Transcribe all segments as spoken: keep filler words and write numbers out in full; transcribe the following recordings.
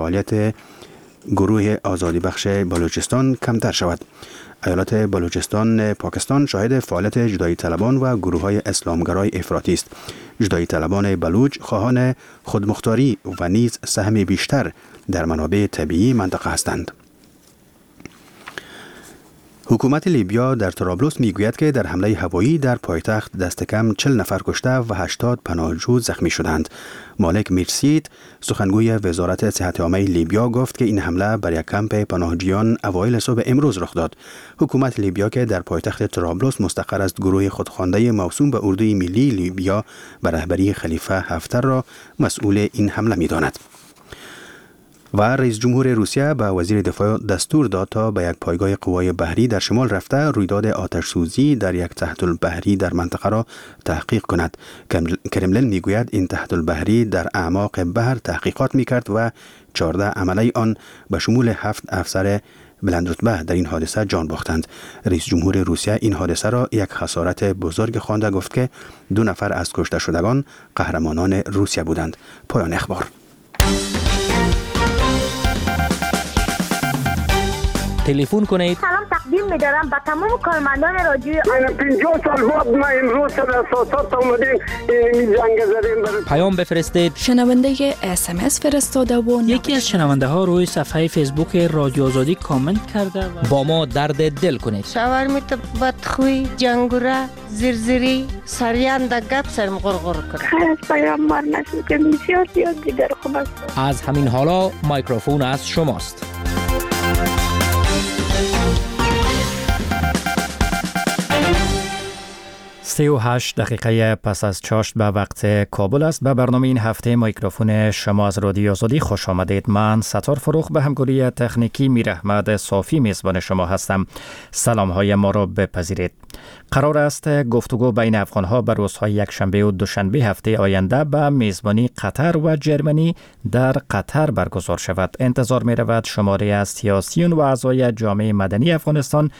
فعالیت گروه آزادی بخش بلوچستان کمتر شود. ایالت بلوچستان پاکستان شاهد فعالیت جدایی طلبان و گروه های اسلامگرای افراطی است. جدایی طلبان بلوچ خواهان خودمختاری و نیز سهم بیشتر در منابع طبیعی منطقه هستند. حکومت لیبیا در طرابلس میگوید که در حمله هوایی در پایتخت دست کم چهل نفر کشته و هشتاد پناهجو زخمی شدند. مالک میرسید، سخنگوی وزارت صحت عامه لیبیا، گفت که این حمله بر یک کمپ پناهجویان اوایل صبح امروز رخ داد. حکومت لیبیا که در پایتخت طرابلس مستقر است، گروه خودخوانده موسوم به اردوی ملی لیبیا به رهبری خلیفه هفتر را مسئول این حمله می‌داند. و رئیس جمهور روسیه به وزیر دفاع دستور داد تا به یک پایگاه قوای بحری در شمال رفته رویداد آتش سوزی در یک تحت البحری در منطقه را تحقیق کند. کرملین میگوید این تحت البحری در اعماق بحر تحقیقات میکرد و چهارده عمله آن به شمول هفت افسر بلند رتبه در این حادثه جان باختند. رئیس جمهور روسیه این حادثه را یک خسارت بزرگ خوانده گفت که دو نفر از کشته شدگان قهرمانان روسیه بودند. پایان اخبار. تلفن کنید. سلام تقدیم می‌دارم به تمام کارمندان رادیو. من پنجاه سال بعد ما امروز در اساسات آمدیم این جنگ زدیم. پیام بفرستید. شنونده اس ام اس فرستاده و یکی از شنونده ها روی صفحه فیسبوک رادیو آزادی کامنت کرده و با ما درد دل کنید. شوهر می تو بدخوی جنگوره زیرزیری سریان د گپ سرم غرغر کنه. از پیام ما نشد که بسیار زیاد دیگر خوب است. از همین حالا میکروفون از شماست. سی و هشت دقیقه پس از چاشت به وقت کابل است. به برنامه این هفته میکروفون شما از رادیو آزادی خوش آمدید. من ستار فروخ به همکاری تکنیکی میراحمد صافی میزبان شما هستم. سلام های ما را بپذیرید. قرار است گفتگو بین افغانها به روزهای یکشنبه و دوشنبه هفته آینده به میزبانی قطر و جرمنی در قطر برگزار شود. انتظار می رود شماری از سیاسیون و اعضای جامعه مدنی افغانستان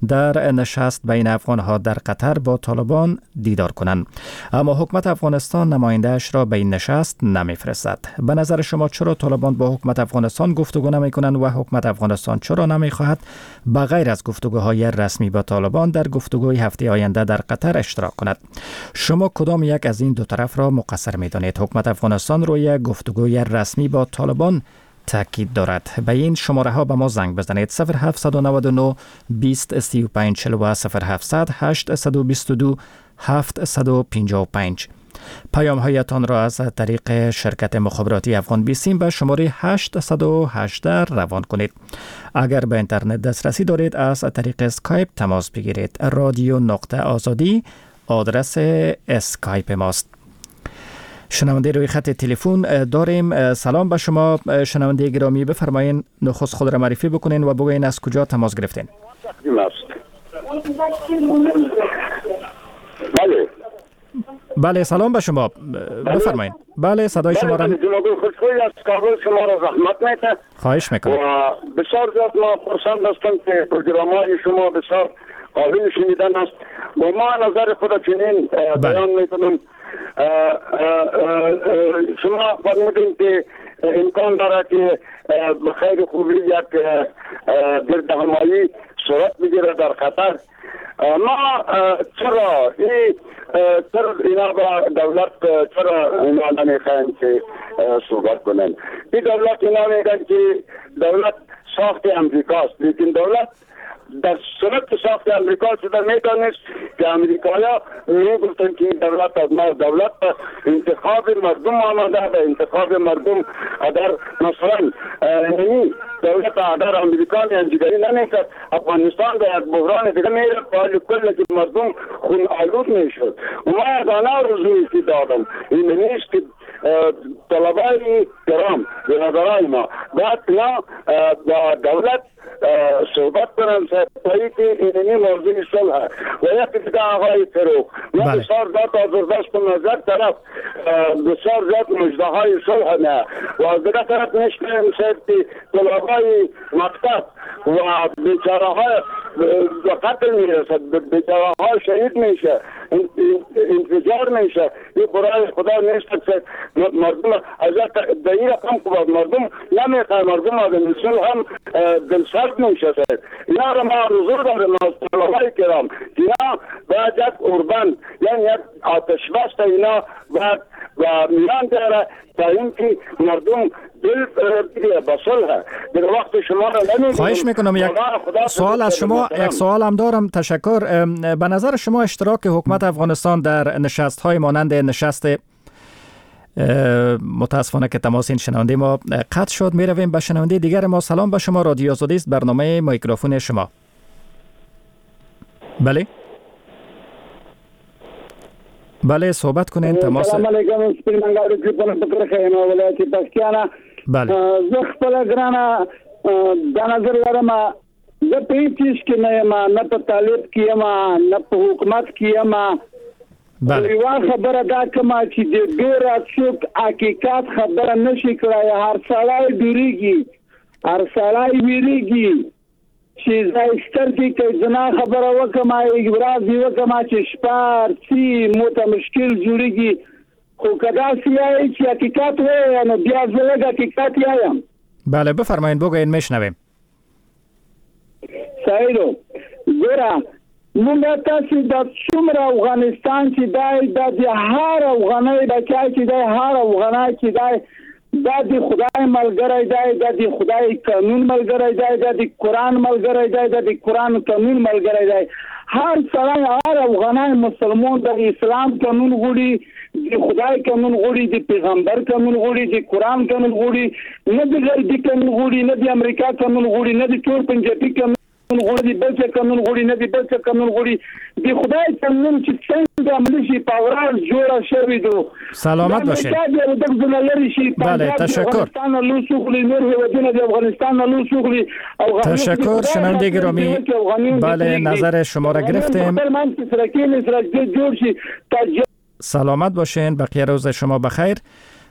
در نشست بین افغانها در قطر با طالبان دیدار کنند. اما حکومت افغانستان نماینده‌اش را به این نشست نمیفرستد. به نظر شما چرا طالبان با حکومت افغانستان گفتگو نمیکنند و حکومت افغانستان چرا نمیخواهد به غیر از گفتگوهای رسمی با طالبان در گفتگوی هفته آینده در قطر اشتراک کند؟ شما کدام یک از این دو طرف را مقصر می‌دانید؟ حکومت افغانستان روی گفتگوی رسمی با طالبان تاکید دارد. به این شماره ها به ما زنگ بزنید: صفر هفت نه نه بیست سی و پنج چهل و صفر هفت هشت بیست و دو هفت پنجاه و پنج. پیام هایتان را از طریق شرکت مخابراتی افغان بیسیم به شماره هشت یک هشت روان کنید. اگر به اینترنت دسترسی دارید از طریق اسکایپ تماس بگیرید. رادیو نقطه آزادی آدرس اسکایپ ماست. شنونده روی خط تلفن داریم. سلام به شما شنونده گرامی، بفرمایین نخست خود را معرفی بکنین و بگوین از کجا تماس گرفتین. بله بله، سلام به شما، بفرمایین. بله، صدای شما را جناب خوشخوی از کابل شما را زحمت میته. خواهش میکنم. و بسیار زیاد ما خرسند هستم که پروگرام های شما بسیار قابل شنیدن است و ما نظر خود چنین بیان میکنم. شما فرمودین که امکان داره که به خیر خوبی یک گردهمایی صورت بگیره در قطر. ما چرا این چرا اینا با دولت چرا اینا نمیخواین که صحبت کنن؟ این دولت اینا میگن که دولت ساخت امریکاست، لیکن دولت در صورت ساخت امریکا شده میدانست که امریکایا میگفتن که این دولت از ما دولت انتخاب مردم آمده و انتخاب مردم اگر مثلا یعنی دولت اگر امریکا انجگری نمیکرد افغانستان به یک بحران دیگه میرفت و کل که مردم خون آلود میشد. و ما از آنها رزوی که دادم این نیست که طلبای کرام برادرای ما باید اینا با دولت صحبت کنم سرپایی که اینمی موضوع صلح و یکی دیگه آقای فروغ ما بسیار زیاد آزردست نظر طرف بسیار زیاد مجده های صلح نه و از دیگه طرف نشکنیم سر که طلبای مکتب و بیچاره های به قتل میرسد، به ها شهید میشه، انفجار میشه. این برای خدا نیست که مردم از در این رقم که مردم نمیخواه، مردم آدم هم دلسرد میشه. اینا را ما آرزو داریم از طلبای کرام که اینا باید یک اوربند، یعنی یک آتش بست اینا باید و میان داره تا اینکه مردم دل به صلح در وقت شما را نمیگیریم. خواهش میکنم یک سوال از شما، یک سوال هم دارم. تشکر. به نظر شما اشتراک حکومت افغانستان در نشست های مانند نشست، متاسفانه که تماس این شنونده ما قطع شد، میرویم به شنونده دیگر ما. سلام به شما، رادیو آزادی است، برنامه میکروفون شما. بله بله صحبت کنین. تماس. سلام علیکم، سپین منګاړو کې په کرخه یم، ولایت پکتیا. بله زه خپله ګرانه دا نظر لرم، زه په هیڅ چیز کې نه یم، نه په طالب کې یم، نه په حکومت کې یم. بله یوه خبره دا کومه چې د ډېره څوک حقیقت خبره نشي کړای، هر سړی ډېرېږي، هر سړی وېرېږي چې زه سترګې که زما خبره وکړم، ورځ یې وکړم چې شپه څي مو ته مشکل جوړېږي. خو که داسې وایي چې حقیقت وایي، نو بیا زه لږ حقیقت وایم. بله بفرمایید، بگویید میشنویم. صحیح ده. ګوره موږ تاسې د څومره افغانستان چې دی، دا د هر افغانۍ بچی چې دی، هر افغانۍ چې دی، دا د خدای ملګری دی، دا د خدای قانون ملګری دی، دا د قرآن ملګری دی، دا د قرآن قانون ملګری دی. هر سړی، هر افغانۍ مسلمان د اسلام قانون غواړي، د خدای قانون غواړي، د پیغمبر قانون غواړي، د قرآن قانون غواړي، نه د غربي قانون غواړي، نه د امریکا قانون غواړي، نه د تور پنجابي قانون غواړي، بل څه قانون غواړي، نه د بل څه قانون غواړي. د خدای قانون چې څنګه عملي شي، په ورځ جوړه شوې ده. سلامت باشید. بله تشکر. تشکر شنونده گرامی. بله نظر شما را گرفتیم. سلامت باشین، بقیه روز شما بخیر.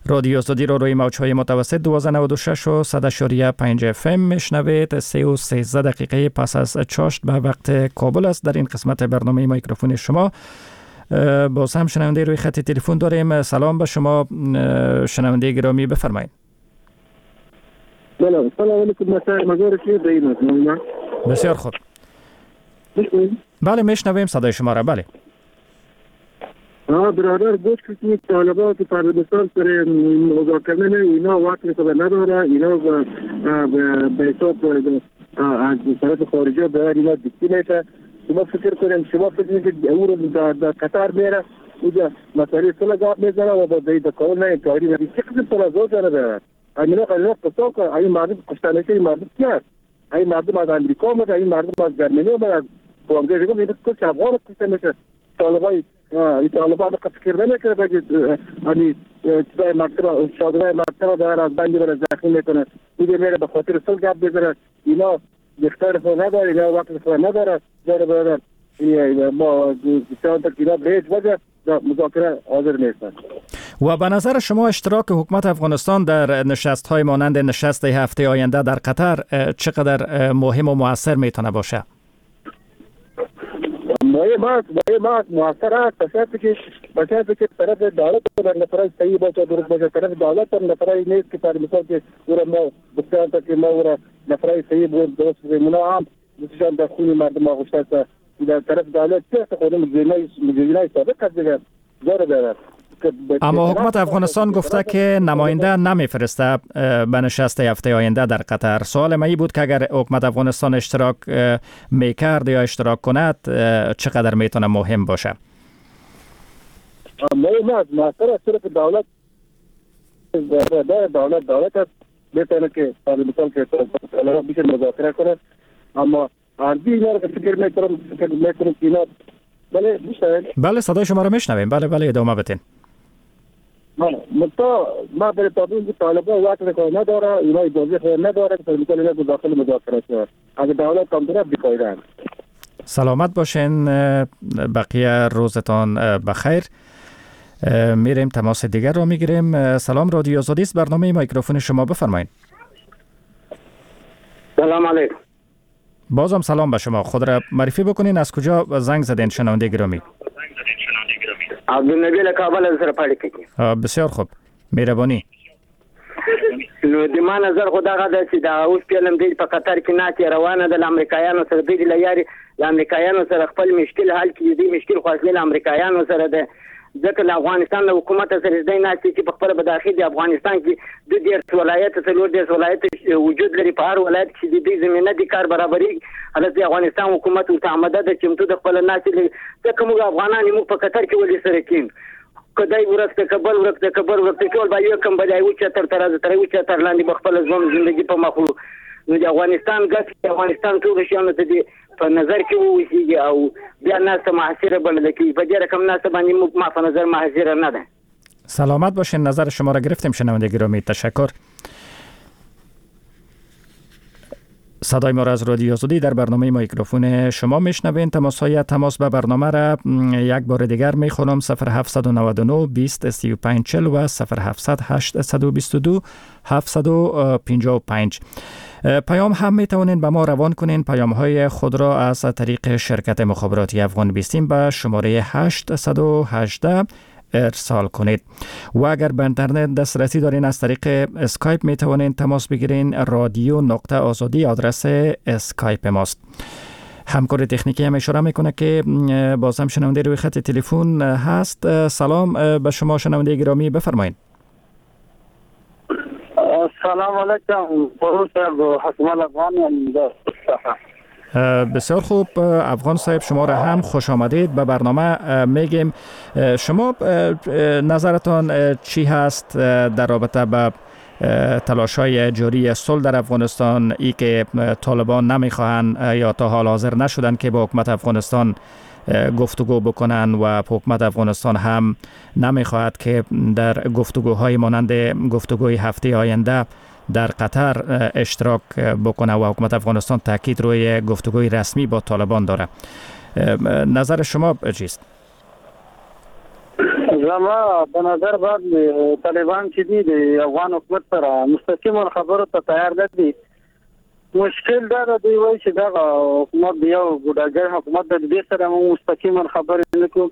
رادیو آزادی رو روی موج‌های متوسط دوازده نود و شش و صد و پنج اف ام میشنوید. سه و سیزده دقیقه پس از چاشت به وقت کابل است. در این قسمت برنامه میکروفون شما باز هم شنونده روی خط تلفن داریم. سلام به شما شنونده گرامی، بفرمایید. بله سلام علیکم، بسیار خوب. بله میشنویم صدای شما را. بله آه برادر گوش کنید، طالبان که پاکستان سر مذاکره نه، اینا وقت خبر نداره، اینا به حساب از طرف خارجه باید اینا دیکته میشه. شما فکر کنید، شما فکر کنید که او رو در قطر میره اونجا مسئله صلح گپ میزنه و با در کار نه کاری نه چه قسم تنازع داره. اینا اینا قصا که این مردم کشته میشه، این مردم کی است؟ این مردم از امریکا اومده، این مردم از جرمنی اومده، از بانگه دیگه، اینا کل افغان کشته میشه. طالبای این طالبان فکر نمیکنه که یعنی چیزای مکتب شادرای مکتب داره از بندی برای زخمی میکنه، دیگه میره به خاطر صلح گپ میزنه. اینا اختیار خود نداره، اینا وقت خود نداره. داره برادر ما بسیار که اینا به هیچ وجه در مذاکره حاضر نیستند. و به نظر شما اشتراک حکومت افغانستان در نشست های مانند نشست هفته آینده در قطر چقدر مهم و مؤثر میتونه باشه؟ مهم است، مهم است، موثر است. به شرطی که به شرطی که طرف دولت در نفرای صحیح باشه، درست باشه. طرف دولت هم نفرای نیست که پر مثال که او را ما بسیار تا که ما او را نفرای صحیح بود درست بکنیم، اونا هم بسیار در خون مردم آغشته است. در طرف دولت چه خودم مجرمای مجرمای سابق است دیگر داره داره. اما حکومت افغانستان گفته که نماینده نمیفرسته به نشست هفته آینده در قطر. سوال من این بود که اگر حکومت افغانستان اشتراک میکرد یا اشتراک کند چقدر میتونه مهم باشه؟ مهم است، موثر است. طرف دولت دولت دولت است، میتونه که مثال که بیشه مذاکره کنه. اما ارزی اینا رو فکر میکنم فکر میکنم که اینا بله میشنوید؟ بله صدای شما رو میشنویم. بله بله ادامه بدین. بله متا ما برای تابعین که طالبان وقت خود نداره، اینا اجازه خود نداره که مثلا اینا داخل مذاکره شود. اگه دولت کم طرف بی‌فایده. سلامت باشین، بقیه روزتان بخیر. میریم تماس دیگر رو میگیریم. سلام، رادیو آزادی است، برنامه میکروفون شما، بفرمایید. سلام علیکم. بازم سلام به شما، خود را معرفی بکنین، از کجا زنگ زدین شنونده گرامی؟ عبدالنبی له کابل سره په اړیکه کې. بسیار خوب، مهرباني. نو د ما نظر خو دغه ده چې دا اوس فعلاً دوی په قطر کې ناستې روانه ده له امریکایانو سره، دوی له یاري له امریکایانو سره خپل مشکل حل کړي. دوی مشکل خو اصلي له امریکایانو سره ده، ځکه له افغانستان له حکومت سره دوی ناستې چې په خپله به داخل د افغانستان کې دوه دېرش ولایت څلور دېرش ولایت وجود لري، په هر ولایت کې د دوی زمینه د کار برابرېږي. هلته د افغانستان حکومت ورته آماده ده چمتو د خپله ناستې لري، ځکه موږ افغانان یو، موږ په قطر کې ولې سره کښېنو؟ که دی ورک ده که بل ورک ده که بل ورک ده، ټول به یو کم به د یو چتر ته راځو، تر یو چتر لاندې به خپله ژوند زندګي په مخ وړو. نو د افغانستان ګټې د افغانستان ټولو شیانو ته دې په نظر کې واوسېږي او بیا ناسته محاصره بلل کېږي. په دې رقم ناسته باندې موږ ما په نظر محاصره نه ده. سلامت باشین، نظر شما را گرفتیم شنونده گرامی، تشکر. صدای ما را از رادیو آزادی در برنامه میکروفون شما میشنوین. تماس های تماس به برنامه را یک بار دیگر میخونم: صفر هفت نه نه بیست سی و پنج چهل و صفر هفت هشت دو دو هفت پنج پنج. پیام هم میتوانین به ما روان کنین. پیام های خود را از طریق شرکت مخابراتی افغان بیستیم به شماره هشت یک هشت ارسال کنید و اگر به اینترنت دسترسی دارین از طریق اسکایپ می توانین تماس بگیرین. رادیو نقطه آزادی آدرس اسکایپ ماست. همکار تکنیکی هم اشاره میکنه که باز هم شنونده روی خط تلفن هست. سلام به شما شنونده گرامی، بفرمایید. سلام علیکم، حسن افغان. بسیار خوب افغان صاحب، شما را هم خوش آمدید به برنامه میگیم. شما نظرتان چی هست در رابطه به تلاش‌های جاری صلح در افغانستان، ای که طالبان نمیخواهند یا تا حال حاضر نشدن که با حکومت افغانستان گفتگو بکنن و حکومت افغانستان هم نمیخواهد که در گفتگوهای مانند گفتگوی هفته آینده در قطر اشتراک بکنه و حکومت افغانستان تاکید روی گفتگوی رسمی با طالبان داره. نظر شما چیست؟ زما په نظر باندې طالبان چې دي د افغان حکومت سره مستقیما خبرو ته تیار نه دي. مشکل دا ده دوی وایي چې دغه حکومت یو ګوډاګی حکومت دی، دې سره موږ مستقیما خبرې نه کوو،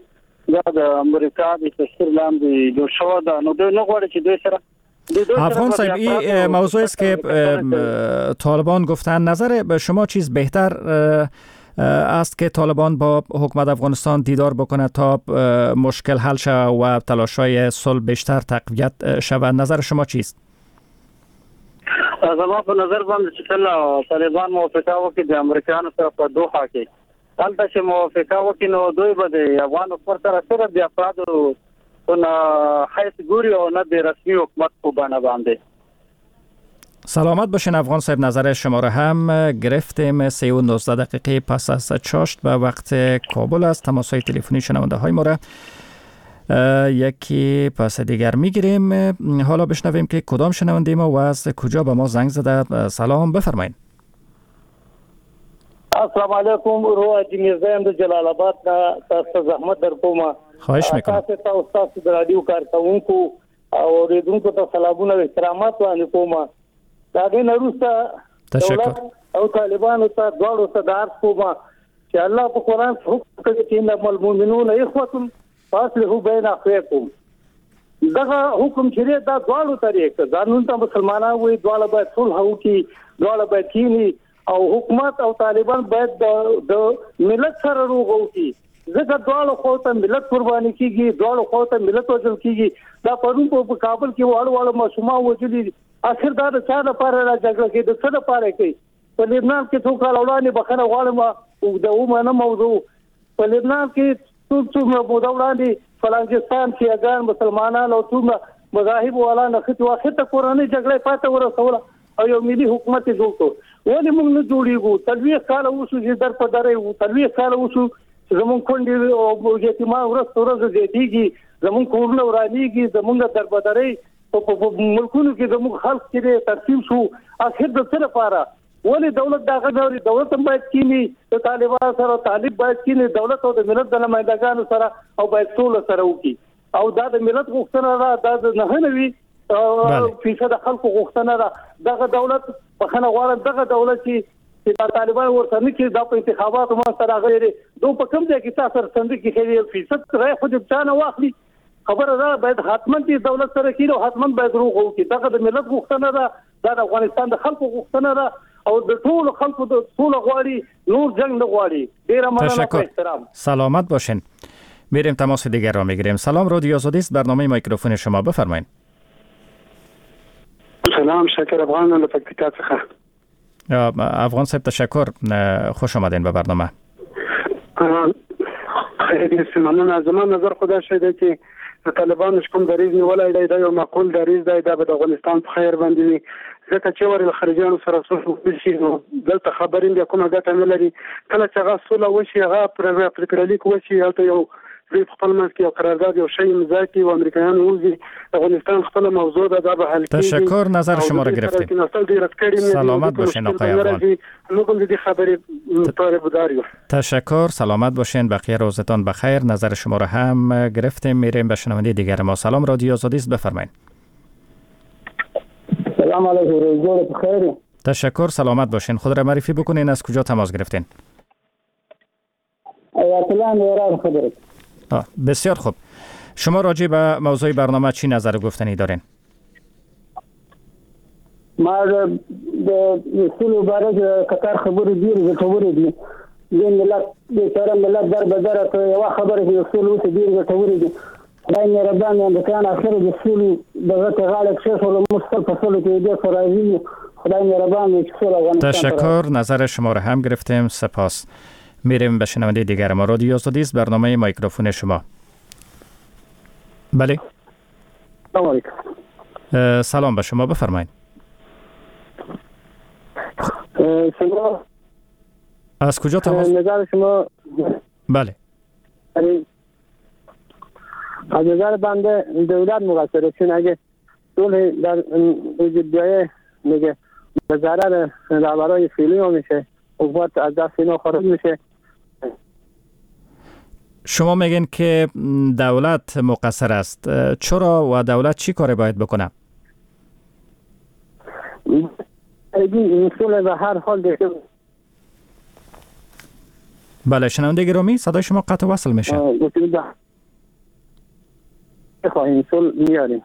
دا د امریکا د تاثیر لاندې جوړ شوی ده، نو دوی نه غواړي چې دوی سره. افغان صاحب، این موضوع است که طالبان گفتن، نظر به شما چیز بهتر است که طالبان با حکومت افغانستان دیدار بکنه تا مشکل حل شود و تلاش‌های صلح بیشتر تقویت شود؟ نظر شما چیست؟ زما په نظر باندې چې کله طالبان موافقه وکړي د امریکایانو سره په دوحه کې، هلته چې موافقه وکړي نو دوی به د افغان حکومت سره صرف د افرادو نه حیث ګوري او نه د رسمي حکومت په بڼه باندې. سلامت باشین افغان صاحب، نظر شما را هم گرفتیم. سه و نوزده دقیقه پس از چاشت به وقت کابل است. تماس های تلفنی شنونده های ما را یکی پس دیگر میگیریم. حالا بشنویم که کدام شنونده ما و از کجا به ما زنگ زده. سلام، بفرمایید. السلام علیکم، ورور حاجي میرزا یم د جلال آباد نه، تاسو ته زحمت در کوم. خواهش میکنم. تاسو ته او ستاسو د رادیو کارکوونکو او اورېدونکو ته سلامونه او احترامات وړاندې کوم. د هغې نه وروسته دولت او طالبانو ته دواړو ته د عرض کوم چې الله په قرآن کې حکم کوي چې انما المؤمنون اخوة فاصلحوا بین اخویکم. دغه حکم چې دی دا دواړو ته دی، که ځانونه ته مسلمانان وایي دواړه باید صلح وکړي، دواړه باید کښېني او حکومت او طالبان باید د ملت سره روغه وکړي، ځکه دواړو خواو ته ملت قرباني کېږي، دواړو خواو ته ملت وژل کېږي. دا پرون په کابل کې واړه واړه ماشومان وژلي دي. اخر دا د چا لپاره را جګړه کوي، د څه لپاره کوي؟ په لبنان کې څو کاله وړاندې، بخښنه غواړم اوږده ومنه موضوع، په لبنان کې څو څومره موده وړاندې فلانجستان شیعهګان مسلمانان او څومره مذاهب والا نښتي وو، اخر ته کورنۍ جګړه یې پای ته ورسوله او یو ملي حکومت یې جوړ کړ. ولې موږ نه جوړېږو؟ څلوېښت کاله وشو چې در په دره یو، څلوېښت کاله وشو چې زموږ کونډې او یتیمان ورځ تر ورځې زیاتېږي، زموږ کورونه ورانېږي، زموږ دربدرۍ په ملکونو کې زموږ خلک چې دی تقسیم شو. اخر د څه لپاره؟ ولې دولت دا غږ اوري؟ دولت هم باید کښېني د طالبانو سره، طالب باید کښېني دولت او د ملت د نمایندګانو سره، او باید سوله سره وکړي. او دا د ملت غوښتنه ده، دا د نهه نوي فیصده خلکو غوښتنه ده. دغه دولت بخښنه غواړم، دغه دولت چې چې دا طالبان ورته نه کړي، دا په انتخاباتو ما سره راغلي دي، دوی په کوم ځای کې تا سره صندوق کې ښه یو فیصد رایه خو دې چا نه واخلي. خبره ده باید حتما دې دولت سره کښېني او حتما باید روغه وکړي. دغه د ملت غوښتنه ده، دا د افغانستان د خلکو غوښتنه ده او د ټولو خلکو د سوله غواړي، نور جنگ نه غواړي. ډیره مننه، په احترام. سلامت باشین. میریم تماس دیگر را میگیریم. سلام، رادیو آزادی است، برنامه میکروفون شما، بفرمایید. سلام، شکر افغان له پکتیکا څخه. افغان صاحب تشکر، خوش آمدین به برنامه. خیلی مننه. زما نظر خو دا شی دی چې د طالبانو چې کوم دریځ نیولی دی دا یو معقول دریځ دی، دا به د افغانستان په خیر باندې وي، ځکه چې ورې له خارجیانو سره سوله وشي نو دلته خبرې بیا کومه ګټه نه لري. کله چې هغه سوله وشي، هغه پرېکړه لیک وشي، هلته یو دوی په خپل منځ کې یو قرارداد یو شی امضا کړي او امریکایان ووځي، افغانستان خپله موضوع ده، دا به حل کېږي. تشکر، نظر شما را گرفتیم. سلامت باشین آقای افغان. موږ هم د دې خبرې طالبدار یو. تشکر، سلامت باشین، بقیه روزتان بخیر. نظر شما را هم گرفتیم. میریم به شنونده دیگر ما. سلام، رادیو آزادی است، بفرمایید. سلام علیکم، روز بخیر. تشکر، سلامت باشین. خود را معرفی بکنین، از کجا تماس گرفتین؟ ایران. بسیار خوب. شما راجع به موضوع برنامه چی نظر گفتنی دارین؟ ما د سولې باره کې قطر خبرې ډېرې ګټورې دي. دې ملت بیچاره ملت در به در ته یوه خبره چې د سولې اوس ډېرې ګټورې دي. خدای مهربان دی، امریکایان اخر د سولې دغه ته غاړه کښېښوله، موږ تل په سولې کې ډېر ښه راضي یو. خدای مهربان دی چې سوله افغانستان ته راوړي. تشکر، نظر شما را هم گرفتیم، سپاس. میریم به شنونده دیگر ما. رادیو آزادی است، برنامه میکروفون شما. بله. سلام علیکم. سلام به شما، بفرمایید. شما از کجا تماس؟ نظر شما؟ بله. از نظر بنده دولت مقصره، چون اگه صلح در وجود بیایه میگه به ضرر رهبرای فعلی ها میشه، حکومت از دست اینا خارج میشه. شما میگین که دولت مقصر است، چرا و دولت چی کاری باید بکنه؟ این صلح به هر حال دیگه. بله شنونده گرامی، صدای شما قطع وصل میشه. خواهیم صلح میاریم.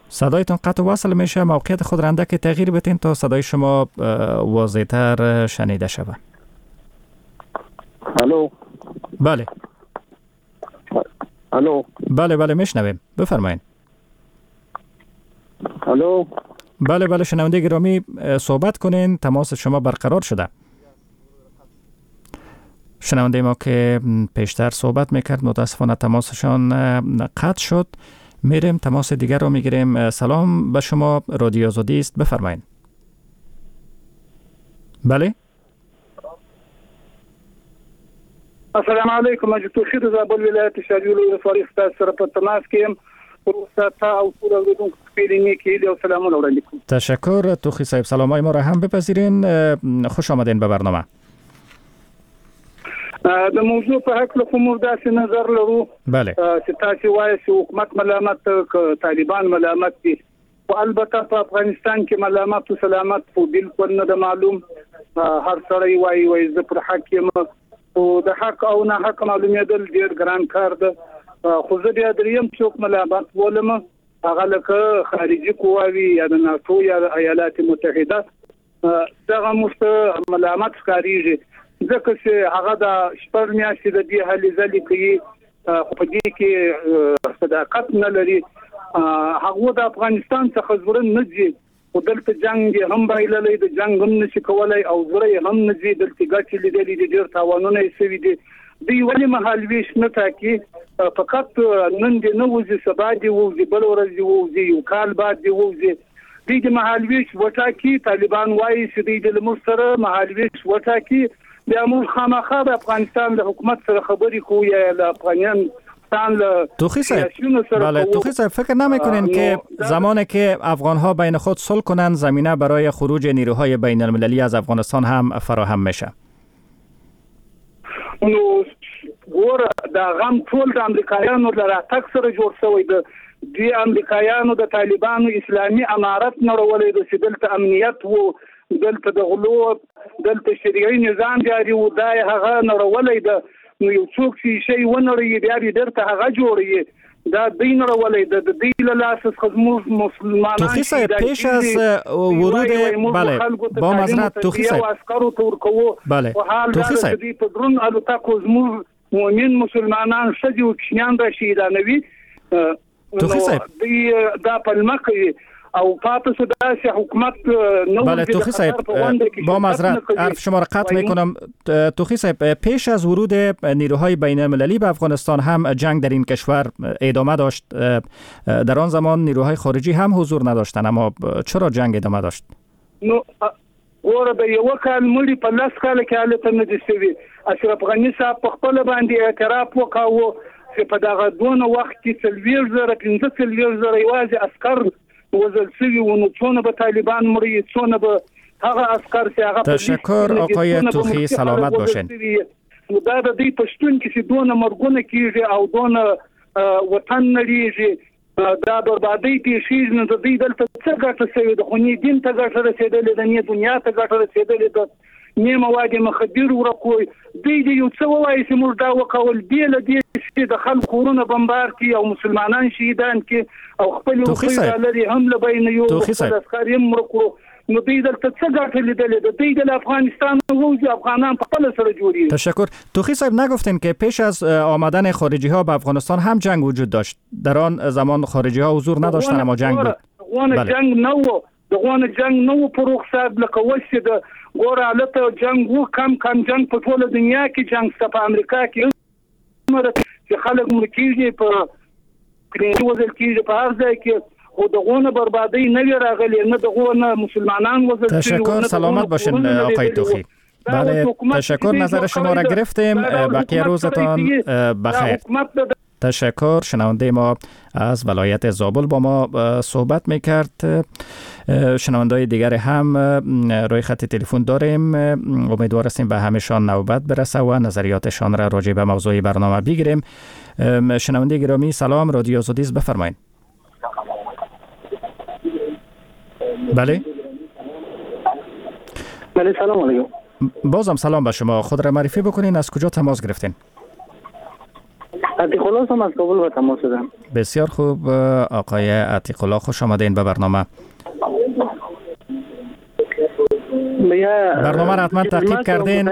صدایتون قطع وصل میشه، موقعیت خود را اندک تغییر بدین تا صدای شما واضح‌تر شنیده شود. الو. بله. الو. بله بله میشنویم، بفرمایید. الو. بله بله شنونده گرامی صحبت کنین، تماس شما برقرار شده. شنونده ما که پیشتر صحبت میکرد متاسفانه تماسشان قطع شد. میریم تماس دیگر رو میگیریم. سلام به شما، رادیو آزادی است، بفرمایید. بله. السلام علیکم، حاجي توخي د زابل ولایت شاریولو ولسوالۍ ستاسو سره په تماس کې یم. وروسته او ټول اورېدونکو خپلې نیکې هیلې او سلامونه وړاندې کوم. تشکر توخی صاحب، سلامای ما را هم بپذیرین. خوش آمدین به برنامه. د موضوع په هکله خو موږ داسې نظر لرو، بله، چې تاسې وایئ چې حکومت ملامت که طالبان ملامت دي، خو البته په افغانستان کې ملامت او سلامت خو بالکل نه ده معلوم. هر سړی وایي وایي زه پر حق یم، خو د حق او نه حق معلومېدل ډېر ګران کار ده. خو زه بیا دریم څوک ملامت بولم، هغه لکه خارجي قواوي یا د ناټو یا د ایالات متحده، دغه موږ ته ملامت ښکارېږي، ځکه چې هغه د شپږ میاشتې د دې هلې ځلې کوي، خو په دې کې صداقت نه لري. هغه د افغانستان څخه زړه نه ځي، خو دلته جنګ یې هم بایللی، د جنګ هم نشي کولی او زړه یې هم نه ځي. دلته ګټې لیدلې دي، ډېر تاوانونه یې سوي دي. دوی ولې مهالوېش نه ټاکي؟ فقط نن دې نه وځي، سبا دې ووځي، بله ورځ دې ووځي، یو کال بعد دې ووځي. دوی دې مهالوېش وټاکي. طالبان وایي چې دوی دې له موږ سره مهالوېش وټاکي، بیا موږ خامخا د افغانستان له حکومت سره خبرې کوو یا له افغانستان له توخی صاحب. بله توخی صاحب، فکر نمی‌کنین که زمانی که افغان‌ها بین خود صلح کنند زمینه برای خروج نیروهای بین المللی از افغانستان هم فراهم میشه؟ نو ګوره، دا غم ټول د امریکایانو له راتګ سره جوړ شوی دی. دوی امریکایانو د طالبانو اسلامي امارت نړولی دی چې دلته امنیت وو، دلته د غلو، دلته شریعي نظام جاري و، دا یې هغه نړولی ده. نو یو څوک چې شی ونړوي بیا یې بیرته هغه جوړوي. دا دوی نړولی ده، د دوی له لاسه څخه زموږ مسلمانان توخی صاحب پیش از ورود بله با معذرت توخی صاحب عسکرو ته ورکوو. بله توخی صاحب دوی په درون الوتکو زموږ مؤمن مسلمانان ښځې او کوچنیان را شهیدانوي. توخی صاحب دوی دا پلمه کوي او پاتې شو داسې حکومت نو. بله توخی صاحب با معذرت حرف شما را قطع میکنم. توخی صاحب پیش از ورود نیروهای بین المللی به افغانستان هم جنگ در این کشور ادامه داشت. در آن زمان نیروهای خارجی هم حضور نداشتند، اما چرا جنگ ادامه داشت؟ نو ګوره د یو کال مړي په لس کاله کې هلته نه دي شوي. اشرف غني صاحب په خپله باندې اعتراف وکاوه چې په دغه دونه وخت کې څلوېښت زره پنځه څلوېښت زره یوازې عسکر وزل شوي وو. نو څونه به طالبان مړي، څونه به هغه عسکر چې هغه. تشکر آقای توخی، سلامت باشین. نو دا د دوی په شتون کې چې دونه مرګونه کېږي او دونه وطن نړېږي، دا بربادۍ پېښېږي، نو د دوی دلته څه ګټه شوې ده؟ خو نه دین ته ګټه رسېدلې ده، نه دنیا ته ګټه رسېدلې ده، نه مواد مخدر ورکوي. دوی دې یو څه ووایي چې موږ دا وکول، بې له دې چې د خلکو کورونه بمبار کړي او مسلمانان شهیدان کړي او خپلې روپۍ ډالرې هم له بینه یوړو، خپل عسکر یې هم مړه کړو. نو دوی دلته څه ګټه لیدلې ده؟ دوی د افغانستان ووځي، افغانان په خپله سره جوړېږي. تشکر. توخی صاحب نگفتین که پیش از آمدن خارجی ها به افغانستان هم جنگ وجود داشت؟ در آن زمان خارجی ها حضور نداشتن اما جنگ بود. دغونه جنگ نه و، دغونه جنگ نه و فروخ صاحب. لکه اوس چې د ګوره هلته جنګ و، کم کم جنګ په ټوله دنیا کې جنګ شته، په امریکا کې چې خلک مړه کېږي، په کلیني وژل کېږي، په هر ځای کې. خو دغونه بربادۍ نه وي راغلې، نه دغونه مسلمانان وژل شوي. تشکر، سلامت باشین آقای توخی. بله تشکر، نظر شما را گرفتیم. بقیه روزتان بخیر. تشکر. شنونده ما از ولایت زابل با ما صحبت میکرد. شنونده‌های دیگر هم روی خط تلفن داریم، امیدوار هستیم به همشان نوبت برسه و نظریاتشان را راجع به موضوع برنامه بگیریم. شنونده گرامی سلام، رادیو آزادی است، بفرمایید. بله بله سلام علیکم. بازم سلام به شما، خود را معرفی بکنین، از کجا تماس گرفتین؟ عتیق الله هم از کابل با تماس شدم. بسیار خوب آقای عتیق الله، خوش آمدین به برنامه. برنامه را حتما تعقیب کردین،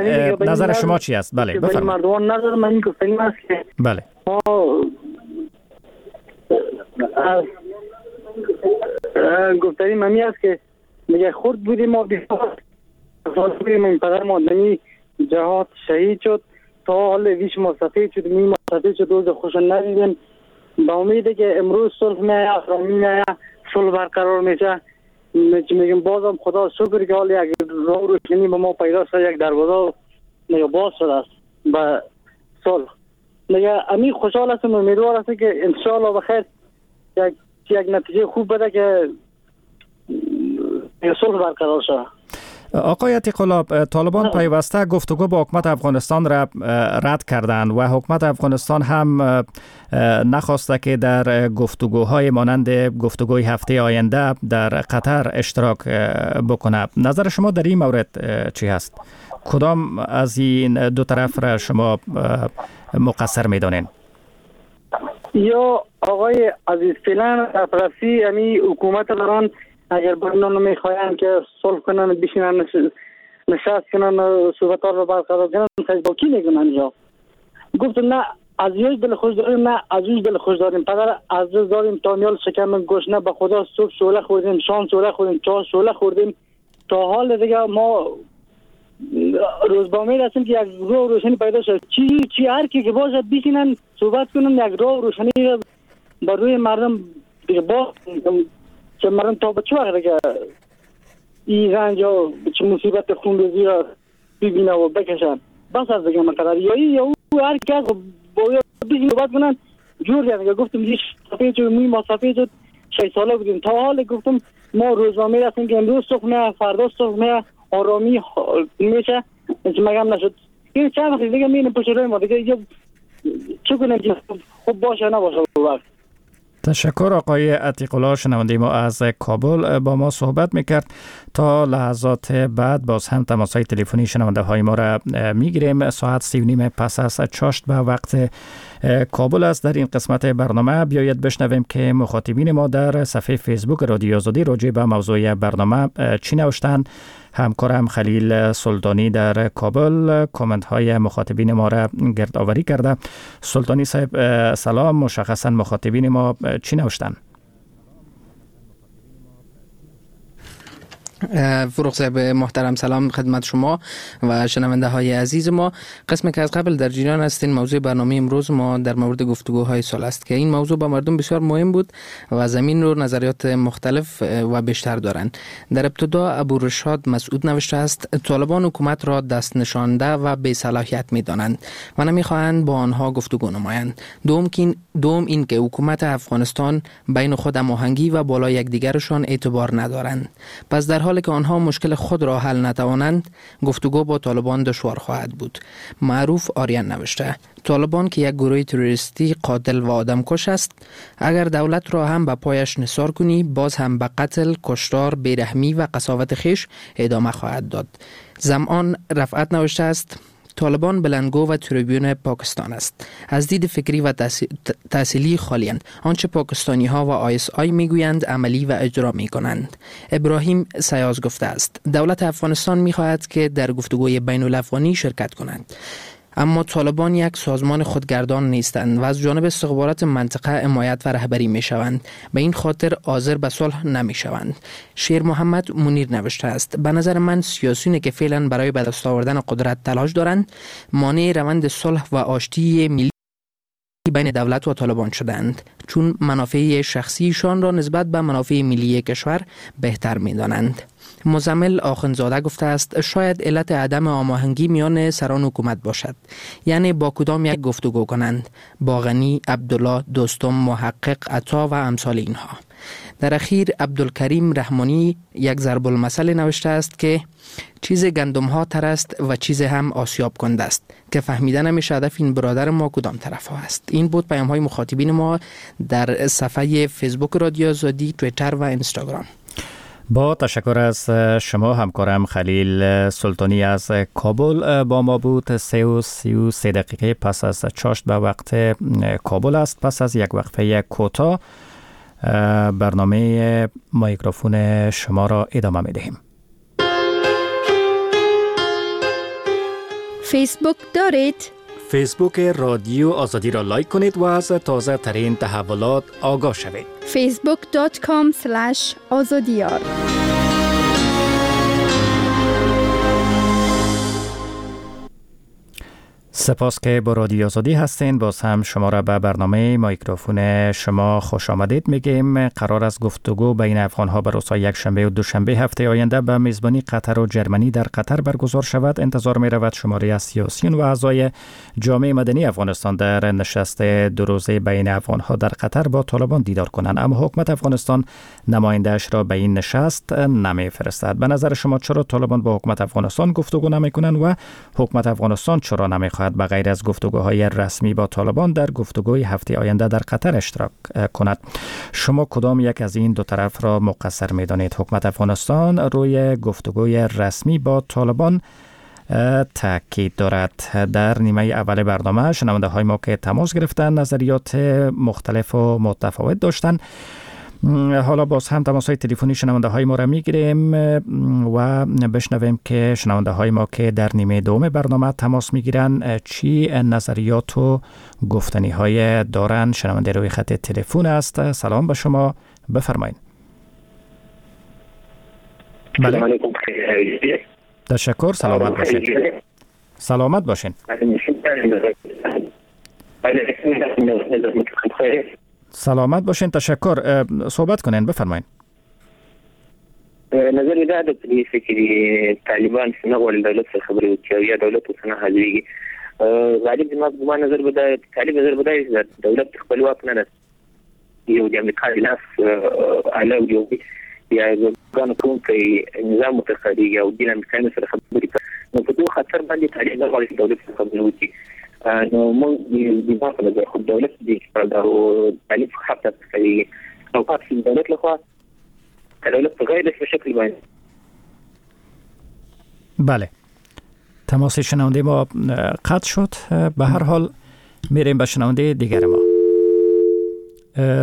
نظر شما چی است؟ بله بفرمایید. مردمان نظر من این گفتنی است که بله ما گفتنی من است که میگه خرد بودیم ما، بیسار بودیم، این پدر مادنی جهاد شهید شد، تا حال ویش ما سفید شد، می ما سفید شد، روز خوش ندیدیم. با امید که امروز صلح میایه، آرامی میایه، صلح برقرار میشه. میگم بازم خدا شکر که حال یک راه روشنی به ما پیدا شد، یک دروازه میگه باز شده است به صلح. میگه امی خوشحال هستم، امیدوار هستم که انشالله بخیر یک یک نتیجه خوب بده که صلح برقرار شد. آقای عتیق الله، طالبان پیوسته گفتگو با حکومت افغانستان را رد کردند و حکومت افغانستان هم نخواسته که در گفتگوهای مانند گفتگوی هفته آینده در قطر اشتراک بکنه. نظر شما در این مورد چی هست؟ کدام از این دو طرف را شما مقصر می‌دانین؟ یا آقای عزیز، فعلا افراستی امی حکومت دارن اگر برنامه میخواین که صلح کنن، بشینن، نشست کنن، صحبت‌ها رو برقرار کنن، با کی میکنن؟ یا گفتم نه از یک دل خوش داریم، نه از یک دل خوش داریم. پدر از دست داریم تا نیال شکم گشنه، به خدا صبح شعله خوردیم، شام شعله خوردیم، چهار شعله خوردیم، تا حال دیگه ما روز با امید هستیم که یک راه روشنی پیدا شد. چی چی هر کی که باشه بشینن صحبت کنن، یک راه روشنی بر روی مردم دیگه با که مردم تا به چه وقت دیگه این رنج و چه مصیبت خونریزی را ببینه و بکشن. بس از دیگه مقدار یا یا او هر کس باید بشینن صحبت کنن جور دیگه. گفتم یه سفید شد، موی ما سفید شد، شش ساله بودیم تا حال. گفتم ما روزنامه هستیم که امروز صبح نه فردا صبح نه آرامی میشه، مگم نشد. این چند وقت دیگه میریم پشت روی ما دیگه، چه کنیم که خوب باشه نباشه وقت. تشکر آقای عتیق الله، شنونده ما از کابل با ما صحبت میکرد. تا لحظات بعد باز هم تماس های تلفنی شنونده های ما را میگیریم. ساعت سی و نیم پس از چاشت به وقت کابل است. در این قسمت برنامه بیاید بشنویم که مخاطبین ما در صفحه فیسبوک رادیو آزادی راجع به موضوع برنامه چی نوشتند. همکارم خلیل سلطانی در کابل کامنت های مخاطبین ما را گردآوری کرده. سلطانی صاحب سلام، مشخصا مخاطبین ما چی نوشتن؟ فروغ صاحب محترم سلام خدمت شما و شنونده های عزیز ما. قسم که از قبل در جریان هستین، موضوع برنامه امروز ما در مورد گفتگوهای صلح است که این موضوع با مردم بسیار مهم بود و زمین رو نظریات مختلف و بیشتر دارند. در ابتدا ابو رشاد مسعود نوشته است: طالبان حکومت را دست نشانده و بی صلاحیت می دانند و نمیخواهند با آنها گفتگو نمایند. دوم دوم این که حکومت افغانستان بین خود هماهنگی و بالای یکدیگرشان اعتبار ندارند. پس در حالی که آنها مشکل خود را حل نتوانند، گفتگو با طالبان دشوار خواهد بود. معروف آریان نوشته: طالبان که یک گروه تروریستی قاتل و آدمکش است، اگر دولت را هم به پایش نثار کنی، باز هم به قتل، کشتار، بیرحمی و قساوت خویش ادامه خواهد داد. زمان رفعت نوشته است: طالبان بلندگو و تریبیون پاکستان است. از دید فکری و تحصیلی خالی‌اند. آنچه پاکستانی ها و آی اس آی میگویند عملی و اجرا می کنند. ابراهیم سیاز گفته است: دولت افغانستان میخواهد که در گفتگوی بین الافغانی شرکت کنند، اما طالبان یک سازمان خودگردان نیستند و از جانب استخبارات منطقه حمایت و رهبری می شوند. به این خاطر حاضر به صلح نمی شوند. شیر محمد منیر نوشته است: به نظر من سیاسیونی که فعلا برای به دست آوردن قدرت تلاش دارند، مانع روند صلح و آشتی ملی بین دولت و طالبان شدند، چون منافع شخصیشان را نسبت به منافع ملی کشور بهتر می دانند. مزمل آخندزاده گفته است: شاید علت عدم آماهنگی میان سران حکومت باشد، یعنی با کدام یک گفتگو کنند، با غنی، عبدالله، دوستم، محقق، عطا و امثال اینها. در اخیر عبدالکریم رحمانی یک ضرب المثل نوشته است که چیز گندم ها تر است و چیز هم آسیاب کنده است، که فهمیده نمیشه هدف این برادر ما کدام طرف ها است. این بود پیام های مخاطبین ما در صفحه فیسبوک رادیو آزادی، توییتر و اینستاگرام. با تشکر از شما همکارم خلیل سلطانی از کابل با ما بود. سه و سی و سه دقیقه پس از چاشت به وقت کابل است. پس از یک وقفه کوتاه برنامه میکروفون شما را ادامه می دهیم. فیسبوک دارید؟ فیسبوک رادیو آزادی را لایک کنید و از تازه ترین تحولات آگاه شوید. فیسبوک دات کام اسلش آزادیار. سپاس که با رادیو آزادی هستین. باز هم شما را به برنامه میکروفون شما خوش آمدید میگیم. قرار است گفتگو بین افغانها بر روزهای یک شنبه و دوشنبه هفته آینده به میزبانی قطر و جرمنی در قطر برگزار شود. انتظار می رود شماری از سیاسیون و اعضای جامعه مدنی افغانستان در نشست دو روزه بین افغانها در قطر با طالبان دیدار کنند، اما حکومت افغانستان نماینده‌اش را به این نشست نمیفرستد. به نظر شما چرا طالبان با حکومت افغانستان گفتگو نمیکنند و حکومت افغانستان چرا نمیخواهد به غیر از گفتگوهای رسمی با طالبان در گفتگوی هفته آینده در قطر اشتراک کند؟ شما کدام یک از این دو طرف را مقصر می‌دانید؟ حکومت افغانستان روی گفتگوی رسمی با طالبان تاکید دارد. در نیمه اول برنامه شنونده های ما که تماس گرفتن نظریات مختلف و متفاوت داشتند. حالا باز هم تماس های تلفنی شنونده های ما را میگیریم و بشنویم که شنونده های ما که در نیمه دوم برنامه تماس میگیرن چی نظریات و گفتنی های دارن. شنونده روی خط تلفن است. سلام به شما، بفرمایید. بله. تشکر، سلامت باشین. سلامت باشین. سلامت باشین، تشکر. صحبت کنین، بفرمایین. نظر دا ده په دې څه کې طالبان څنګه غواړي دولت سره خبرې وکړي او یا دولت ورسره حاضرېږي. غالب زما زما نظر به دا طالب نظر به دا وي چې دولت خپلواک نه ده، یو د امریکا لاس اله یو یا ځان کوونکی نظام ورته ښکارېږي او دین امریکایانو سره خبرې کوي. نو په دې خاطر باندې طالب نه غواړي چې دولت سره خبرې وکړي. نو موږ د ما په نظر خو دولت دې او طالب حتی کوي او پاتې دولت لخوا دولت په غیر رسمي شکل باندې. بله، تماس شنونده ما قطع شد. به هر حال میریم به شنونده دیگر ما.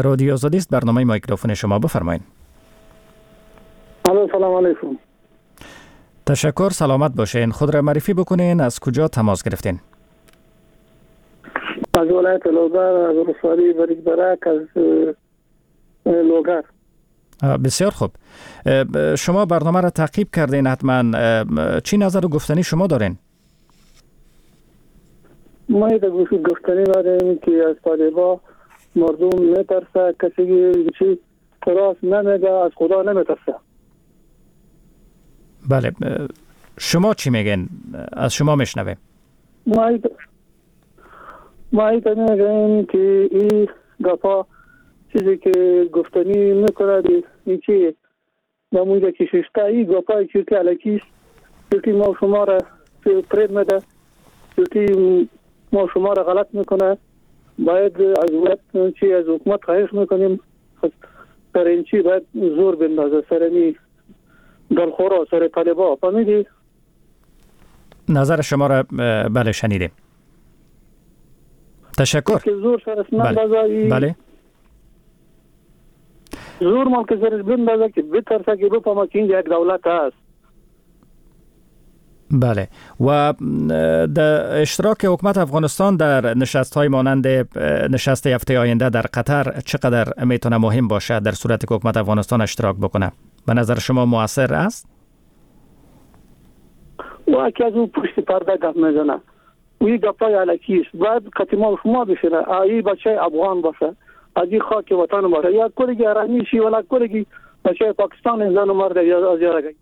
رادیو آزادی است، برنامه میکروفون شما، بفرمایید. الو، سلام علیکم. تشکر، سلامت باشین. خود را معرفی بکنین، از کجا تماس گرفتین؟ از ولایت لوگر، از ولسوالی بریک برک، از لوگر. بسیار خوب. شما برنامه را تعقیب کردین حتما، چی نظر و گفتنی شما دارین؟ ما گفتنی داریم که از طالبا مردم میترسه، کسی که راست نمیگه از خدا نمیترسه. بله، شما چی میگین؟ از شما میشنویم. ما ما میگیم که این گپا چیزی که گفتنی میکنه این چی نموده که ششته این گپای چیزی الکیست که ما شما را فریب میده، که ما شما را غلط میکنه. باید از وقت چی از حکومت خواهش میکنیم سر این چی باید زور بندازه سر این دلخورا، سر طالبا. فهمیدی؟ نظر شما را بله شنیدیم. تشکر. که زور سرش نندازه. بله. زور مال که سرش بندازه که بترسه که بفهمه که اینجا یک دولت هست. بله، و در اشتراک حکومت افغانستان در نشست های مانند نشست هفته آینده در قطر چقدر میتونه مهم باشه در صورت که حکومت افغانستان اشتراک بکنه؟ به نظر شما موثر است؟ و که از اون پشت پرده گپ میزنه و این گپای الکی است. باید قطعی ما شما بشینه، ای بچه افغان باشه، از این خاک وطن باشه، یا کلگی ارمی شی ولا کلگی بچه پاکستان زن و مرد از یارگی.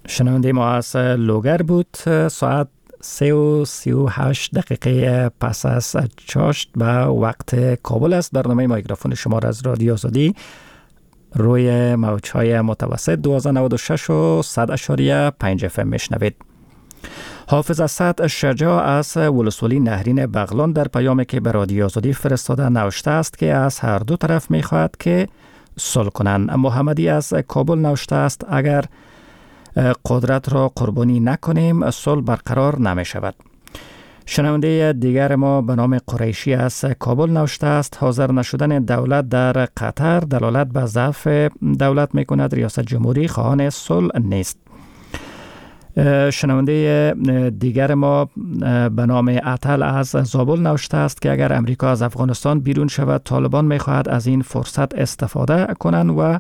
شنونده ما از لوگر بود. ساعت سه و سی و هشت دقیقه پس از چاشت به وقت کابل است. برنامه میکروفون شما را از رادیو آزادی روی موج‌های متوسط دوازده نود و شش و صد اعشاریه پنج اف ام میشنوید. حافظ اسد شجاع از ولسوالی نهرین بغلان در پیامی که به رادیو آزادی فرستاده نوشته است که از هر دو طرف میخواهد که صلح کنند. محمدی از کابل نوشته است اگر قدرت را قربانی نکنیم صلح برقرار نمی شود. شنونده دیگر ما به نام قریشی از کابل نوشته است حاضر نشدن دولت در قطر دلالت به ضعف دولت می کند. ریاست جمهوری خواهان صلح نیست. شنونده دیگر ما به نام عطل از زابل نوشته است که اگر امریکا از افغانستان بیرون شود طالبان میخواهد از این فرصت استفاده کنند و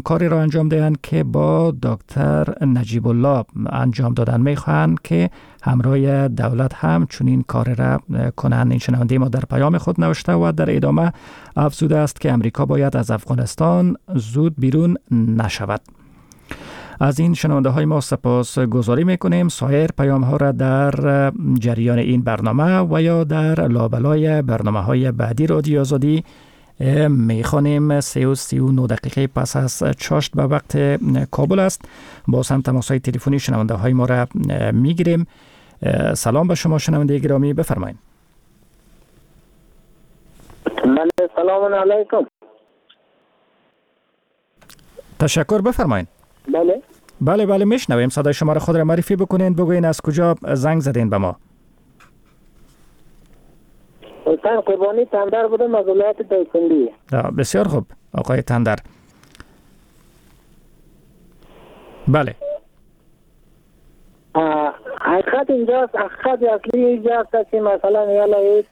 کاری را انجام دهند که با دکتر نجیب الله انجام دادن، میخواهند که همراه دولت هم چنین کاری را کنند. این شنونده ما در پیام خود نوشته و در ادامه افزوده است که امریکا باید از افغانستان زود بیرون نشود. از این شنونده های ما سپاس گذاری میکنیم. سایر پیام ها را در جریان این برنامه و یا در لابلای برنامه های بعدی رادیو آزادی میخوانیم. سه و سی و نه دقیقه پس از چاشت به وقت کابل است. باز هم تماس های تلفنی شنونده های ما را میگیریم. سلام به شما شنونده گرامی، بفرمایید. سلام علیکم. تشکر، بفرمایید. بله بله بله میشنویم. صدای شما را خود را معرفی بکنین، بگوین از کجا زنگ زدین به ما. حسین قربانی تندر بودم از ولایت دایکندی. بسیار خوب آقای تندر. بله حقیقت اینجاست، حقیقت اصلی اینجاست که مثلا یالا هیچ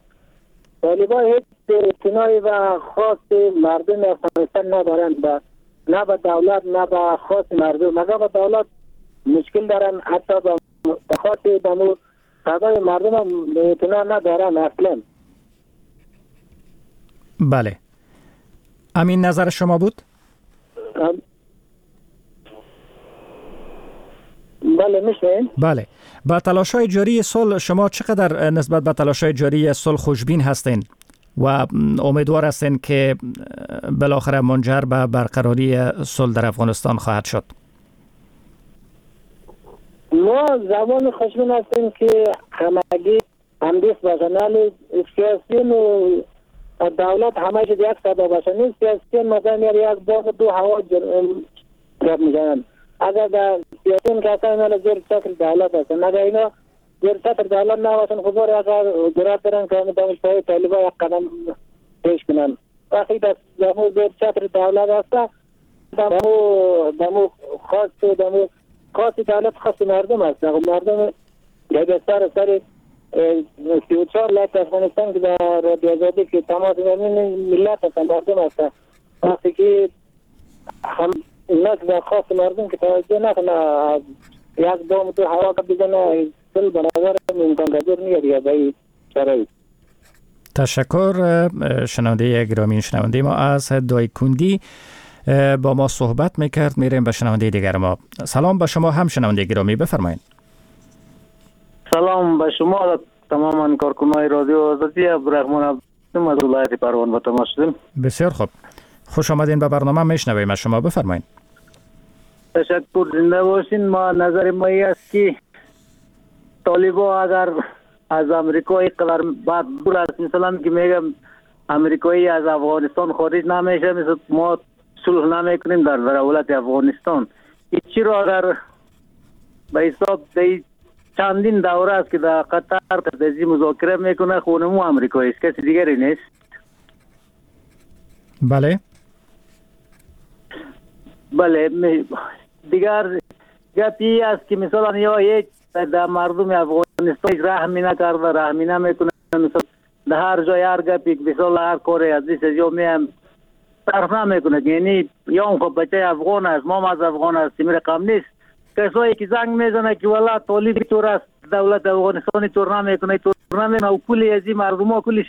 طالبان هیچ اعتنایی و خواست مردم افغانستان ندارند، با نه به دولت نه به خواست مردم. مگر به دولت مشکل دارن، حتی به خواست به صدای مردم هم اعتنا ندارن اصلا. بله، امین نظر شما بود؟ بله میشه. بله، با تلاش‌های جاری صلح شما چقدر نسبت به تلاش‌های جاری صلح خوشبین هستین و امیدوار هستین که بالاخره منجر به برقراری صلح در افغانستان خواهد شد؟ ما زبان خوشبین هستیم که همگی همدست باشن، ولی سیاسیون و دولت همه یک صدا باشن. نیست سیاسیون مثلا یک باغ دو هوا گپ میزنن. اگر در سیاسیون که اصلا اینا زیر چتر دولت هستن، اگر اینا زیر چتر دولت نباشن خب بار اگر جرأت دارن که همه دانشگاه طالبا یک قدم پیش کنن. وقتی در زیر چتر دولت هستن دمو دمو خاص دمو خاص دولت خاص مردم هست. مردم در سر سر سی و چهار لک افغانستان که در رادیو آزادی که تماس می‌گیرن ملت هستن، مردم هستن. وقتی که هم اینا که خاص مردم که توجه نکنه یک دام تو هوا که بزنه سل به نظر امکان پذیر نیست دیگه به این شرایط. تشکر شنونده گرامی، شنونده ما از دایکندی با ما صحبت میکرد. میریم به شنونده دیگر ما. سلام به شما هم شنونده گرامی، بفرمایید. سلام به شما و تمام کارکنان رادیو آزادی. عبدالرحمن عبدالرحیم از ولایت پروان با تماس شدیم. بسیار خوب، خوش آمدین به برنامه. میشنویم از شما، بفرمایید. تشکر، زنده باشین. ما نظر ما این است که طالبا اگر از امریکا اینقدر بد دور است، مثلا که میگم امریکایی از افغانستان خارج نمیشه، مثل ما صلح نمیکنیم در دولت افغانستان. هیچی را اگر به حساب چندین دوره است که در قطر تدزی مذاکره میکنه، خونمو امریکایی است، کسی دیگری نیست. بله بله. دیگر گپی است که مثلا یا یک در مردم افغانستان هیچ رحمی نکرده، رحمی نمیکنه. مثلا در هر جای هر گپی مثلا هر کاری از دیس یا میم طرف نمیکنه، یعنی یا خب بچه افغان است، ما از افغان هستیم، رقم نیست. کسایی که زنگ میزنه که والا طالب طور است، دولت افغانستان طور نمیکنه، طور نمیکنه، و کلی از این مردم ها کلش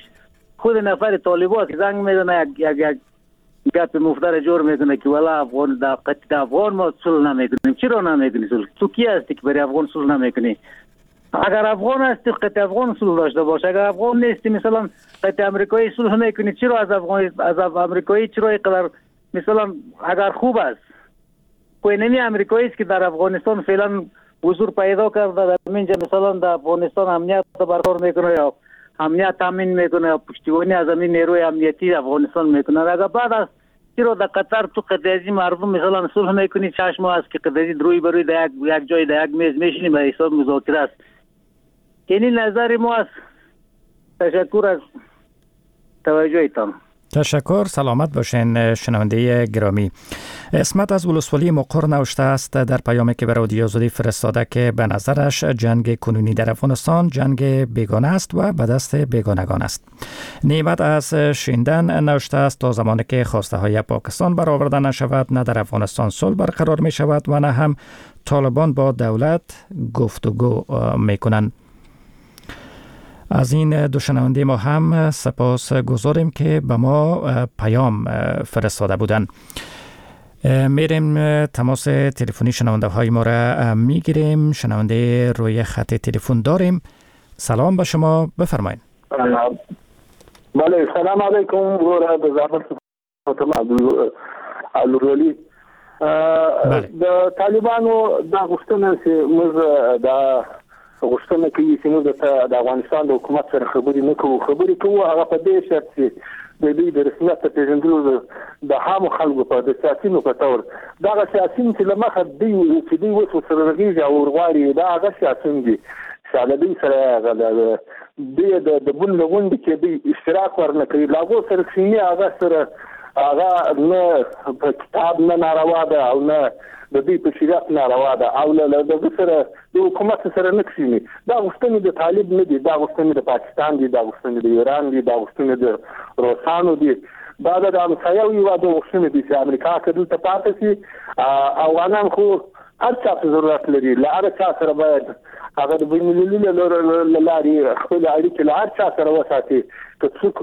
خود نفر طالبا که زنگ میزنه یک یک یک گپ مفتر جور میکنه که والا افغان در قطع افغان ما صلح نمیکنیم. چرا نمیکنی صلح؟ تو کی هستی که برای افغان صلح نمیکنی؟ اگر افغان هستی قطع افغان صلح داشته باش، اگر افغان نیستی مثلا قطع امریکایی صلح میکنی، چرا از افغان از امریکایی چرا اینقدر مثلا اگر خوب است کوینمی امریکایی است که در افغانستان فعلا حضور پیدا کرده، در اینجا مثلا در افغانستان امنیت برقرار میکنه یا امنیت تامین میکنه یا پشتیبانی از همین نیروی امنیتی افغانستان میکنه. اگر بعد از چرا در قطر تو قدیزی مردم مثلا صلح میکنی، چشم است که قدیزی روی بروی در یک یک جای در یک میز میشینی به حساب مذاکره است. یعنی نظر ما است. تشکر از توجهتان. تشکر، سلامت باشین شنونده گرامی. اسمت از ولسوالی مقر نوشته است در پیامی که به رادیو آزادی فرستاده که به نظرش جنگ کنونی در افغانستان جنگ بیگانه است و به دست بیگانگان است. نعمت از شیندن نوشته است تا زمانی که خواسته های پاکستان برآورده نشود نه در افغانستان صلح برقرار می شود و نه هم طالبان با دولت گفتگو می کنند. از این دو شنونده ما هم سپاس گذاریم که به ما پیام فرستاده بودند. میریم تماس تلفنی شنونده های ما را میگیریم. شنونده روی خط تلفن داریم. سلام به شما، بفرمایید. بله، سلام علیکم. د طالبانو دا غوښتنه چې موږ د غوښتنه کوي چې موږ د افغانستان د حکومت سره خبرې نه کوو، خبرې کوو هغه په دې شرط چې د دوی د رسمیت پېژندلو د عامو خلکو په د سیاسیونو په تور دغه سیاسیون چې له مخه دوی چې دوی اوس ورسره رغېږي او ورغواړي دا هغه سیاسیون دي چې له دوی سره هغه دوی د بن له غونډې کې دوی اشتراک ورنه کوي، له هغو سره کښېني، هغه سره هغه نه په کتاب نه ناروا ده او نه د دوی په شریعت ناروا ده او له دغه سره د حکومت سره نه کښېني. دا غوښتنې د طالب نه دي، دا غوښتنې د پاکستان دي، دا غوښتنې د ایران دي، دا غوښتنې د روسانو دي، دا د همسایه هېوادو غوښتنې دي چې امریکا که دلته پاتې شي افغانان خو هر چا ته ضرورت لري، له هر چا سره باید هغه د بین المللي له لارې خپلې اړیکې له هر چا سره وساتي. که څوک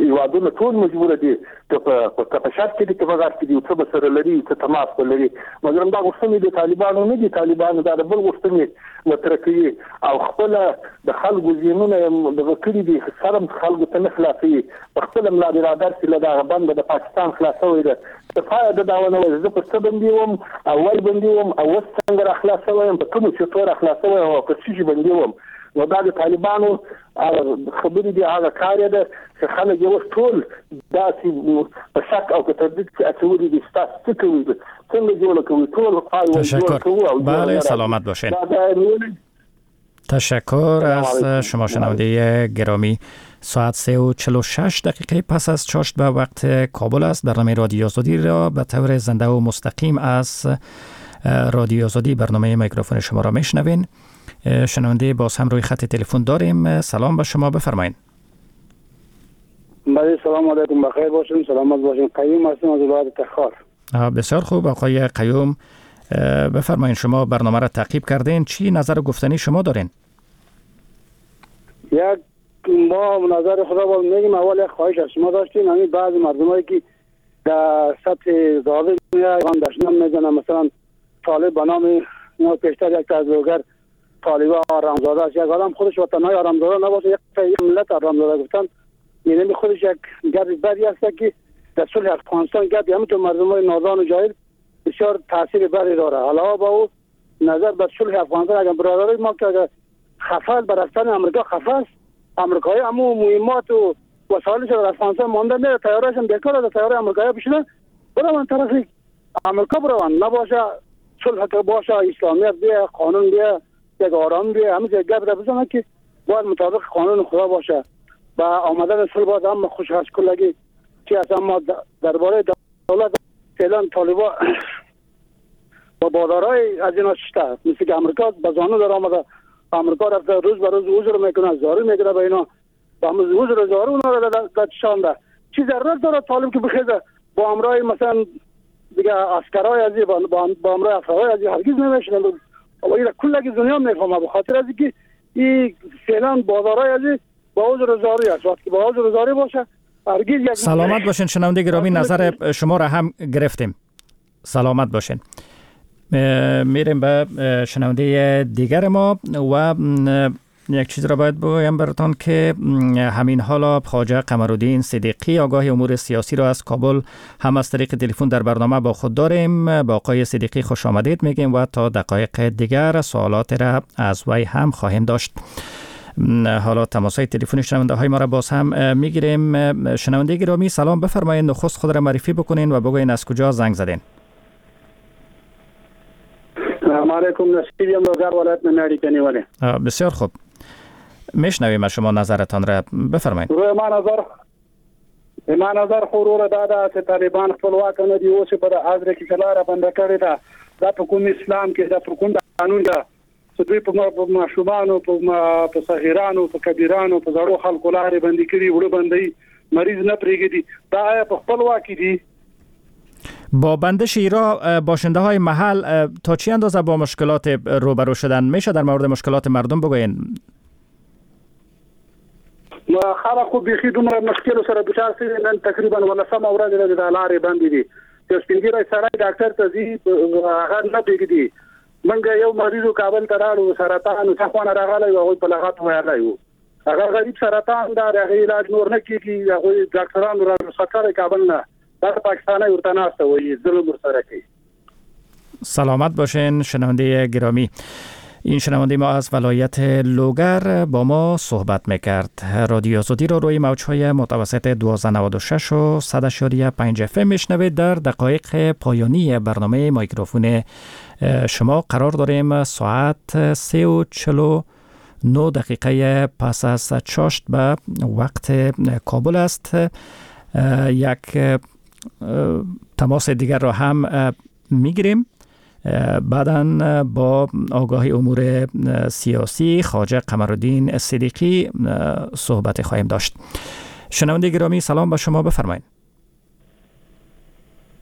هېوادونه ټول مجبور دي که په شرق کې دي که په غرب کې دي، څه به سره لري، څه تماس به لري. مګر دا غوښتنې د طالبانو نه دي، طالبانو دا د بل غوښتنې مطرح کوي او خپله د خلکو ذهنونه یې دغه کړي دي، سرم خلکو ته نه خلاصوي. په خپله ملا برادر چې له دغه بنده د پاکستان خلاصوی ده، تر پایه ده دا ونه وایي زه پر څه بندي وم او ول بندي وم او اوس څنګه را خلاص شوی یم، په کومو چتو را خلاص شوی یم او په څه شي بندي وم. نو دا د طالبانو خبرې دي، هغه کار یې ده چې خلک یې اوس ټول داسې په شک او په تردید کې اچولي دي چې تاسو څه کوئ، څنګه جوړه کوئ، ټول تشکر. بله سلامت باشین. تشکر از شما شنونده گرامی. ساعت سه و چهل و شش دقیقه پس از چاشت به وقت کابل است. برنامه رادیو آزادی را به طور زنده و مستقیم از رادیو آزادی برنامه میکروفون شما را میشنوین. شنونده باز هم روی خط تلفن داریم. سلام به شما، بفرمایید. بله سلام علیکم، بخیر باشین، سلامت باشین. قیوم هستم از ولایت تخار. بسیار خوب آقای قیوم، بفرمایید شما برنامه را تعقیب کردین، چی نظر و گفتنی شما دارین؟ یک ما نظر خدا باز میگیم. اول یک خواهش از شما داشتیم، همین بعضی مردمایی که در سطح ظالم میان دشنام میزنن، مثلا طالب به نام ما پیشتر یک از لوگر طالب آرامزاده است، یک آدم خودش وطنای آرامزاده نباشه، یک ملت آرامزاده گفتن، یعنی خودش یک گپ بدی است که در صلح افغانستان گپ همونطور مردمای نادان و جاهل بسیار تاثیر بدی داره. علاوه با او نظر به صلح افغانستان، اگر برادرای ما که اگر خفه بر رفتن امریکا خفه است، امریکایی همو مهمات و وسایلش در افغانستان مانده میره، تیاره‌اش هم بیکار است، تیاره امریکایی بشینه بروند طرف امریکا بروند، نباشه صلح که باشه، اسلامیت بیا، قانون بیا، یک آرام بیا، همه یک گپ را بزنه که باید مطابق قانون خدا باشه. با آمدن صلح باید هم خوش هست کلگی چی هست. اما درباره دولت فعلا طالبا با بادارای از اینا شده، مثل که امریکا به زانو در آمده، امریکا رفته روز به روز عذر میکنه، زاری میکنه به اینا، با عذر زاری اونا را در چشانده. چی ضرورت داره طالب که بخیزه با امرای مثلا دیگه عسکرای از با با امرای افرای از هرگز نمیشنه. و اینا کلگی دنیا میفهمه، به خاطر از اینکه این فعلا بازارای از با عذر زاری است. وقتی با عذر زاری باشه هرگز یک. سلامت باشین شنونده گرامی، نظر شما را هم گرفتیم. سلامت باشین. میریم به شنونده دیگر ما و یک چیز را باید بگویم براتان که همین حالا خواجه قمرالدین صدیقی آگاه امور سیاسی را از کابل هم از طریق تلفن در برنامه با خود داریم. با آقای صدیقی خوش آمدید میگیم و تا دقایق دیگر سوالات را از وی هم خواهیم داشت. حالا تماس های تلفنی شنونده های ما را باز هم میگیریم. شنونده گرامی سلام، بفرمایید نخست خود را معرفی بکنین و بگوین از کجا زنگ زدین. سلام علیکم، نصیب یم لوگر ولایت نه اړیکه نیولې. بسیار خوب، میشنویم شما نظرتان را بفرمایید. وروره ما نظر ما نظر خو وروره دا ده چې طالبان خپلواک نه دي، اوس یې په ازره کې چې لاره بنده کړې ده، دا په کوم اسلام کې ده، په کوم قانون ده چې دوی په ماشومانو، په صغیرانو، په کبیرانو، په زړو خلکو لارې بندې کړي، وړه بندوي، مریض نه پرېږدي، دا آیا په خپلواکي دي؟ با بندش ایرا باشنده های محل تا چی اندازه با مشکلات روبرو شدن؟ میشه در مورد مشکلات مردم بگوین؟ خلک خو بیخي دومره مشکلو سره دچار شوي، نن تقریبا ولسمه ورځ ده چې دا لارې بندې دي. یو سپین ږیری سړی ډاکټر ته ځي، هغه نه پرېږدي. موږ یو مریض کابل ته راړو، سرطان څه خوانه راغلی و، هغوی په لغت ویلی و، هغه غریب سرطان ده، د هغې علاج نور نه کېږي، هغوی ډاکټرانو را رخصت کړی کابل نه، دا پاکستانی ورته ناسته وایي، ظلم ورسره کوي. سلامت باشین شنونده گرامی. این شنونده ما از ولایت لوگر با ما صحبت میکرد. رادیو آزادی را روی موج‌های متوسط دوازده نود و شش و صد و پنج اف ام میشنوید. در دقایق پایانی برنامه میکروفون شما قرار داریم. ساعت سه و چهل و نه دقیقه پس از چاشت به وقت کابل است. یک تماس دیگر را هم میگیریم. بعداً با آگاهی امور سیاسی خواجه قمرالدین صدیقی صحبت خواهیم داشت. شنونده گرامی سلام به شما، بفرمایید.